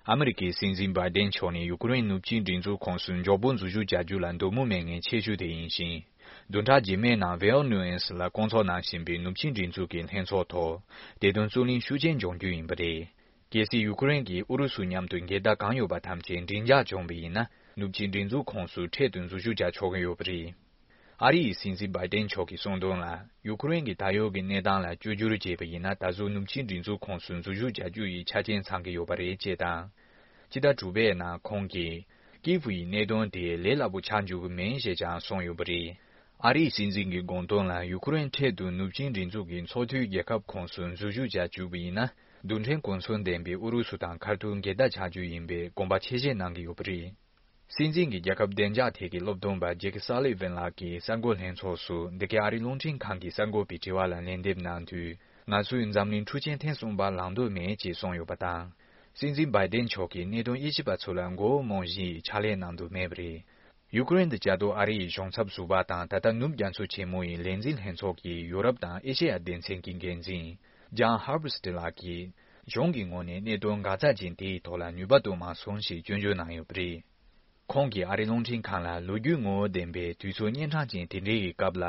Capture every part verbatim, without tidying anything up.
ཨ་མི་རི་ཀའི་སྲིད་འཛིན་བྷའི་ཌེན་མཆོག་ནས་ཡུ་ཀེ་རེན་ནུབ་ཆིངས་སྒྲིག་འཛུགས་ཁོངས་སུ་མགྱོགས་པོ་འཛུལ་ཞུགས་བྱ་རྒྱུ་ལ་འདོད་མོས་མེད་མཁན་ཆེ་ཤོས་དེ་ཡིན་ཞིང་། བདུན་ཕྲག་རྗེས་མའི་ནང་ཝེ་ཨོ་ནུ་ཨེན་སི་ལ་སྐོང་ཚོགས་གནང་བཞིན་པའི་ནུབ་ཆིངས་སྒྲིག་འཛུགས་ཀྱི་ལྷན་ཚོགས་ཐོག་བདེ་དོན་རྩོད་གླེང་ཤུགས་ཆེན་འབྱུང་རྒྱུ་ཡིན་པ་རེད། གལ་སྲིད་ཡུ་ཀེ་རེན་གྱིས་ཨུ་རུ་སུ་མཉམ་དུ་འགལ་ཟླ་གང་ཡོད་པ་ཐམས་ཅད་མགྲིན་འཇགས་བྱུང་བ་ཡིན་ན། ནུབ་ཆིངས་སྒྲིག་འཛུགས་ཁོངས་སུ་འཕྲལ་དུ་འཛུལ་ཞུགས་བྱ་ཆོག་གི་ཡོད་པ་རེད། ཨ་རི་ཡི་སྲིད་འཛིན་བྷའི་ཌེན་མཆོག་གིས་གསུངས་དོན་ལ། ཡུ་ཀེ་རེན་གྱི་ད་ཡོད་ཀྱི་གནས་སྟངས་ལ་བཅོས་བསྒྱུར་བྱས་པ་ཡིན་ན། ད་གཟོད་ནུབ་ཆིངས་སྒྲིག་འཛུགས་ཁོངས་སུ་འཛུལ་ཞུགས་བྱ་རྒྱུ་ཡི་ཆ་རྐྱེན་ཚང་གི་ཡོད་པ་རེད་ཅེས་དང་། སྤྱི་ཟླ་དྲུག་པའི་ནང་ཁོང་གིས། ཀིབ་ཡི་གནད་དོན་དེ་ལས་སླ་པོ་ཆགས་འཇུག་གི་མིན་ཞེས་ཀྱང་གསུངས་ཡོད་པ་རེད། ཨ་རིའི་སྲིད་འཛིན་གྱི་དགོངས་དོན་ལ། ཡུ་ཀེ་རེན་འཕྲལ་དུ་ནུབ་ཆིངས་སྒྲིག་འཛུགས་ཀྱི་ཚོགས་འཐུས་རྒྱལ་ཁབ་ཁོངས་སུ་འཛུལ་ཞུགས་བྱ་བཅུག་པ་ཡིན་ན། རྡུལ་ཕྲན་གོ་མཚོན་ལྡན་པའི་ཨུ་རུ་སུ་དང་ཁ་ཐུག་འགལ་ཟླ་ཆགས་རྒྱུ་ཡིན་པའི་དགོངས་པ་ཆེ་བཞེས་གནང་གི་ཡོད་པ་རེད། སྲིད་འཛིན་གྱི་རྒྱལ་ཁབ་བདེ་འཇགས་ཐད་ཀྱི་སློབ་སྟོན་པ་ཇེ་ཀི་སཱ་ལི་ཝན་ལགས་ཀྱིས་གསར་འགོད་ལྷན་ཚོགས་སུ་འདི་གའི་ཨ་རིའི་རླུང་འཕྲིན་ཁང་གི་གསར་འགོད་པའི་དྲི་བ་ལ་ལན་འདེབས་གནང་དུས། ང་ཚོས་འཛམ་གླིང་འཁྲུག་ཆེན་ཐེངས་གསུམ་པ་ལངས་འདོད་མེད་ཅེས་གསུངས་ཡོད་པ་དང་། སྲིད་འཛིན་བྷའི་ཌེན་མཆོག་གིས་གནད་དོན་དབྱེ་ཞིབ་པ་ཚོ་ལ་མགོ་བོ་རྨོངས་བཞིན་ཕྱག་ལས་གནང་འདོད་མེད་པ་རེད། ཡུ་ཀེ་རེན་དུ་བཅའ་སྡོད་ཨ་རི་ཡི་གཞུང་ཚབ་ཟུར་པ་དང་། ད་ལྟ་ནུབ་རྒྱ་མཚོ་ཆེན་མོ་ཡི་ལས་འཛིན་ལྷན་ཚོགས་ཀྱི་ཡུ་རོབ་དང་ཨེ་ཤེ་ཡ་སྡེ་ཚན་གྱི་འགན་འཛིན་ཇཱན་ཧར་བྷར་སྟི་ལགས་ཀྱིས། གཞུང་གི་ངོས་ནས་གནད་དོན་འགག་རྩ་ཅན་དེའི་ཐོག་ལ་ནུས་པ་གཏོང་མ་སོང་ཞེས་སྐྱོན་བརྗོད་གནང་ཡོད་པ་རེད། ཁོང་གིས་ཨ་རིའི་རླུང་འཕྲིན་ཁང་ལ། ལོ་རྒྱུས་ངོ་བོ་ལྡན་པའི་དུས་ཚོད་གཉན་འཕྲང་ཅན་དེ་འདྲའི་གི་སྐབས་ལ།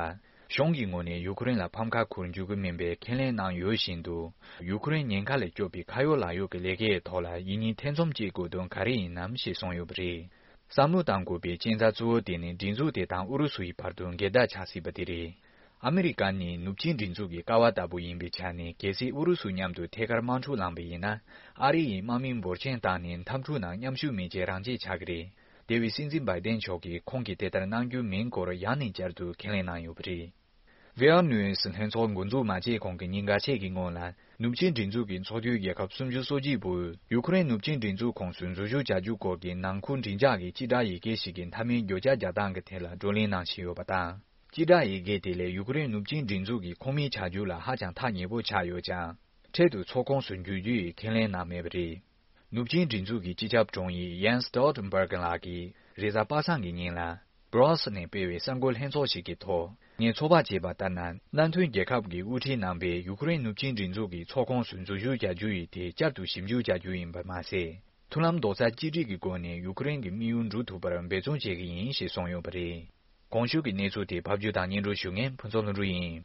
གཞུང་གི་ངོས་ནས་ཡུ་ཀེ་རེན་ལ་ཕམ་ཁ་འཁུར་འཇུག་གི་མིན་པའི་ཁས་ལེན་གནང་ཡོད་བཞིན་དུ། ཡུ་ཀེ་རེན་ཉེན་ཁ་ལས་སྐྱོབ་པའི་ཁ་ཡོད་ལག་ཡོད་ཀྱི་ལས་ཀའི་ཐོག་ལ་ཡིན་གཉིས་ཐེ་ཚོམ་བྱེད་དགོས་དོན་ག་རེ་ཡིན་ནམ་ཞེས་གསུངས་ཡོད་པ་རེད། བསམ་བློ་གཏང་དགོས་པའི་རྐྱེན་རྩ་གཙོ་བོ་དེ་ནི་སྒྲིག་འཛུགས་དེ་དང་ཨུ་རུ་སུ་ཡི་བར་དུ་འགལ་ཟླ་ཆགས་སྲིད་པ་དེ་རེད། ཨ་མི་རི་ཀ་ནི་ནུབ་ཆིངས་སྒྲིག་འཛུགས་ཀྱི་ཀ་བ་ལྟ་བུ་ཡིན་པའི་ཆ་ནས། གལ་སྲིད་ཨུ་རུ་སུ་མཉམ་དུ་ཐད་ཀར་དམག་འཁྲུག་ལངས་པ་ཡིན་ན། ཨ་རི་ཡིས་དམག་མི་འབོར་ཆེན་བཏང་ནས་འཐབ་འཁྲུག་ནང་མཉམ་ཞུགས་མེད་ཅེས་རང་བརྗེད་ཆགས་ཀྱི་རེད། དེ་བས་སྲིད་འཛིན་བྷའི་ཌེན་མཆོག་གིས་ཁོང་གིས་དེ་ལྟར་གནང་རྒྱུ་མིན་སྐོར་ཡང་ནས་བསྐྱར་དུ་ཁས་ལེན་གནང་ཡོད་པ་རེད། ཝེ་ཨར་ནུས་ལྷན་ཚོགས་འགོ་འཛུགས་མ་བྱས་གོང་གི་ཉིན་འགའ་ཤས་ཀྱི་སྔོན་ལ། ནུབ་ཆིངས་སྒྲིག་འཛུགས་ཀྱི་ཚོགས་འཐུས་རྒྱལ་ཁབ་སུམ་ཅུ་སོ་གཅིག་པོས་ཡུ་ཁུ་རེན་ནུབ་ཆིངས་སྒྲིག་འཛུགས་ཁོངས་སུ་འཛུལ་ཞུགས་བྱ་རྒྱུ་སྐོར་གྱི་ནང་ཁུལ་མགྲིན་ཚབ་ཀྱི་སྤྱི་བསྒྲགས་ཡི་གེ་ཞིག་གི་མཐའ་མའི་བརྗོད་བྱ་རྒྱག་སྟངས་ཀྱི་ཐད་ལ་བགྲོ་གླེང་གནང་བཞིན་ཡོད་པ་དང་། སྤྱི་བསྒྲགས་ཡི་གེ་དེ་ལས་ཡུ་ཁུ་རེན་ནུབ་ཆིངས་སྒྲིག་འཛུགས་ཀྱི་ཁོངས་མི་ཆགས་རྒྱུ་ལ་ཧ་ཅང་ཐག་ཉེ་པོ་ཆགས་ཡོད་ཀྱང་། འཕྲལ་དུ་ཚོགས་ཁོངས་སུ་འཇུག་རྒྱུ་ཡི་ཁས་ལེན་གནང་མེད་པ་རེད། ནུབ་ཆིངས་སྒྲིག་འཛུགས་ཀྱི་སྤྱི་ཁྱབ་དྲུང་ཡིག་ཡན་སི་སྟོལ་ཊེན་བྷར་གྷི་ལགས་ཀྱིས་རེས་གཟའ་པ་སངས་ཀྱི་ཉིན་ལ། Brussels་ནས་སྤེལ་བའི་གསར་འགོད་ལྷན་ཚོགས་ཤིག་གི་ཐོག་ངས་ཚོད་དཔག་བྱས་པ་ལྟར་ན། མནའ་མཐུན་རྒྱལ་ཁབ་ཀྱི་དབུ་ཁྲིད་རྣམ་པས་ཡུ་ཁུ་རེན་ནུབ་ཆིངས་སྒྲིག་འཛུགས་ཀྱི་ཚོགས་ཁོངས་སུ་འཛུལ་ཞུགས་བྱ་རྒྱུ་ཡི་ཐད་བསྐྱར་དུ་ཞིབ་འཇུག་བྱ་རྒྱུ་ཡིན་པ་མ་ཟད། མཐུན་ལམ་རྡོག་རྩ་གཅིག་སྒྲིལ་གྱི་སྒོ་ནས་ཡུ་ཁུ་རེན་གྱི་དམིགས་ཡུལ་འགྲུབ་ཐུབ་པར་འབད་བརྩོན་བྱེད་ཀྱི་ཡིན་ཞེས་གསུངས་ཡོད་པ་རེད། གོང་ཞུས་ཀྱི་གནས་ཚུལ་དེ་ཕབ་སྒྱུར་དང་སྙན་སྒྲོན་ཞུ་མཁན་ཕུན་ཚོགས་ལྷུན་གྲུབ་ཡིན།